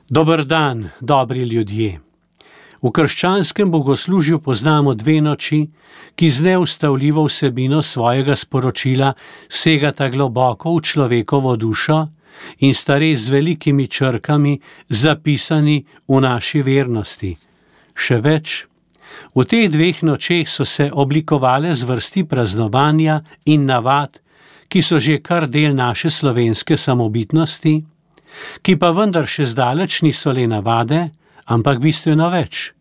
Dober dan, dobri ljudje. V krščanskem bogoslužju poznamo dve noči, ki z neustavljivo vsebino svojega sporočila segata globoko v človekovo dušo in sta res z velikimi črkami zapisani v naši vernosti. Še več, v teh dveh nočeh so se oblikovale zvrsti praznovanja in navad, ki so že kar del naše slovenske samobitnosti, ki pa vendar še zdaleč niso le navade, ampak bistveno več.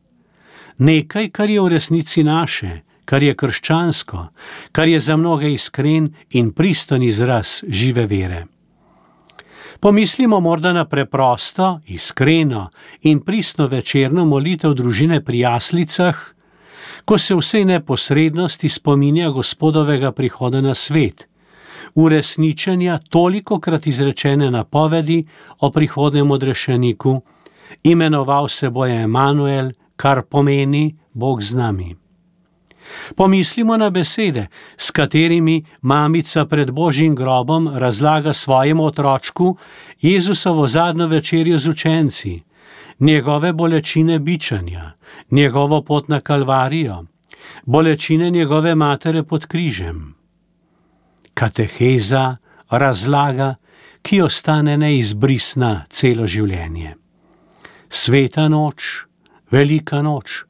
Nekaj, kar je v resnici naše, kar je krščansko, kar je za mnoge iskren in priston izraz žive vere. Pomislimo morda na preprosto, iskreno in pristno večerno molitev družine pri jaslicah, ko se vsej neposrednosti spominja Gospodovega prihoda na svet, uresničenja tolikokrat izrečene napovedi o prihodnem odrešeniku, imenoval se bo Emanuel, kar pomeni Bog z nami. Pomislimo na besede, s katerimi mamica pred Božjim grobom razlaga svojemu otročku Jezusovo zadnjo večerjo z učenci, njegove bolečine bičanja, njegovo pot na Kalvarijo, bolečine njegove matere pod križem. Kateheza, razlaga, ki ostane neizbrisna celo življenje. Sveta noč, velika noč.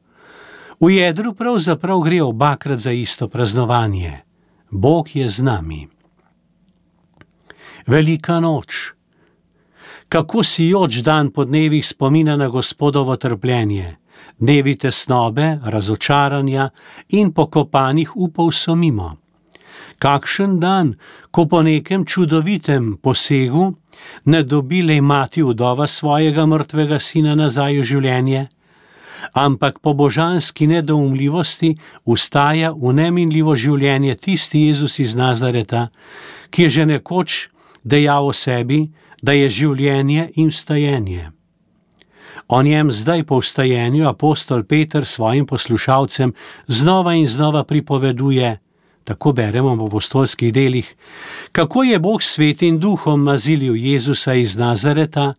V jedru pravzaprav gre obakrat za isto praznovanje. Bog je z nami. Velika noč. Kako sijoč dan po dnevih spomina na Gospodovo trpljenje, dnevi tesnobe, razočaranja in pokopanih upov so mimo. Kakšen dan, ko po nekem čudovitem posegu ne dobi le mati vdova svojega mrtvega sina nazaj v življenje, ampak po božanski nedoumljivosti vstaja v neminljivo življenje tisti Jezus iz Nazareta, ki je že nekoč dejal o sebi, da je življenje in vstajenje. O njem zdaj po vstajenju apostol Peter svojim poslušalcem znova in znova pripoveduje, tako beremo v apostolskih delih, kako je Bog s Svetim Duhom mazilil Jezusa iz Nazareta,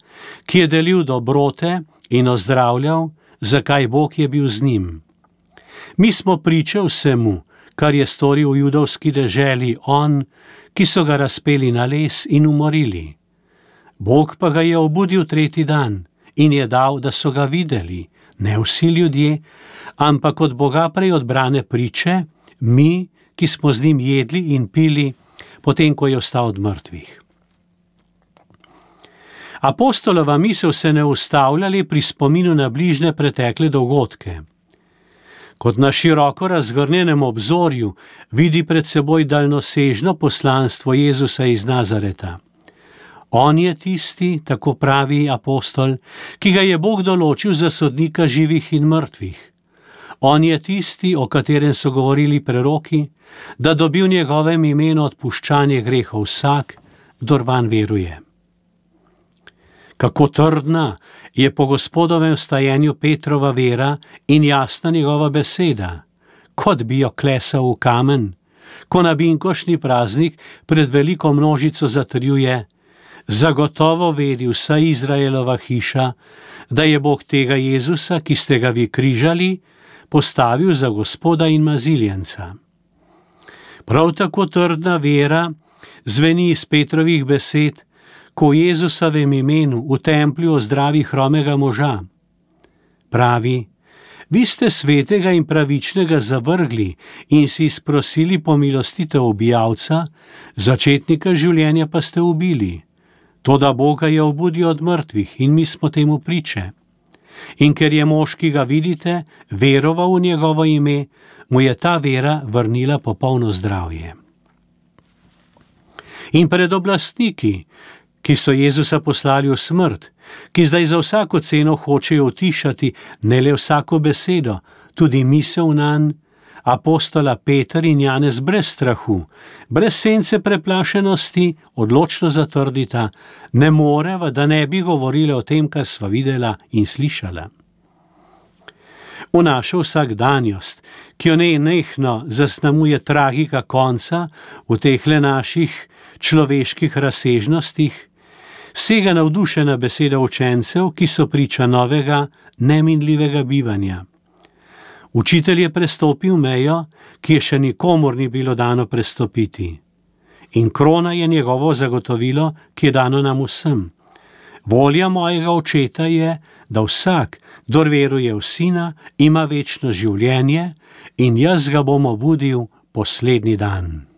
ki je delil dobrote in ozdravljal, zakaj Bog je bil z njim. Mi smo priče vsemu, kar je storil v judovski deželi on, ki so ga razpeli na les in umorili. Bog pa ga je obudil tretji dan in je dal, da so ga videli, ne vsi ljudje, ampak od Boga prej odbrane priče, mi, ki smo z njim jedli in pili, potem ko je vstal od mrtvih. Apostolova misel se ne ustavlja le pri spominu na bližnje pretekle dogodke. Kot na široko razgrnjenem obzorju vidi pred seboj daljnosežno poslanstvo Jezusa iz Nazareta. On je tisti, tako pravi apostol, ki ga je Bog določil za sodnika živih in mrtvih. On je tisti, o katerem so govorili preroki, da dobi v njegovem imenu odpuščanje grehov vsak, kdor vanj veruje. Kako trdna je po Gospodovem vstajenju Petrova vera in jasna njegova beseda, kot bi jo klesal v kamen, ko na binkoštni praznik pred veliko množico zatrjuje: zagotovo vedi vsa Izraelova hiša, da je Bog tega Jezusa, ki ste ga vi križali, postavil za Gospoda in maziljenca. Prav tako trdna vera zveni iz Petrovih besed, ko v Jezusovem imenu v templju ozdravi hromega moža. Pravi: vi ste svetega in pravičnega zavrgli in si sprosili pomilostitev ubijalca, začetnika življenja pa ste ubili. Toda Boga je obudil od mrtvih in mi smo temu priče. In ker je mož, ki ga vidite, veroval v njegovo ime, mu je ta vera vrnila popolno zdravje. In pred oblastniki, ki so Jezusa poslali v smrt, ki zdaj za vsako ceno hočejo utišati ne le vsako besedo, tudi misel nanj, apostola Peter in Janez brez strahu, brez sence preplašenosti, odločno zatrdita: ne moreva, da ne bi govorila o tem, kar sva videla in slišala. V našo vsakdanjost, ki jo nenehno zaznamuje tragika konca v tehle naših človeških razsežnostih, Sega navdušena beseda učencev, ki so priča novega, neminljivega bivanja. Učitelj je prestopil mejo, ki je še nikomur ni bilo dano prestopiti. In krona je njegovo zagotovilo, ki je dano nam vsem. Volja mojega očeta je, da vsak, kdor veruje v Sina, ima večno življenje in jaz ga bom obudil poslednji dan.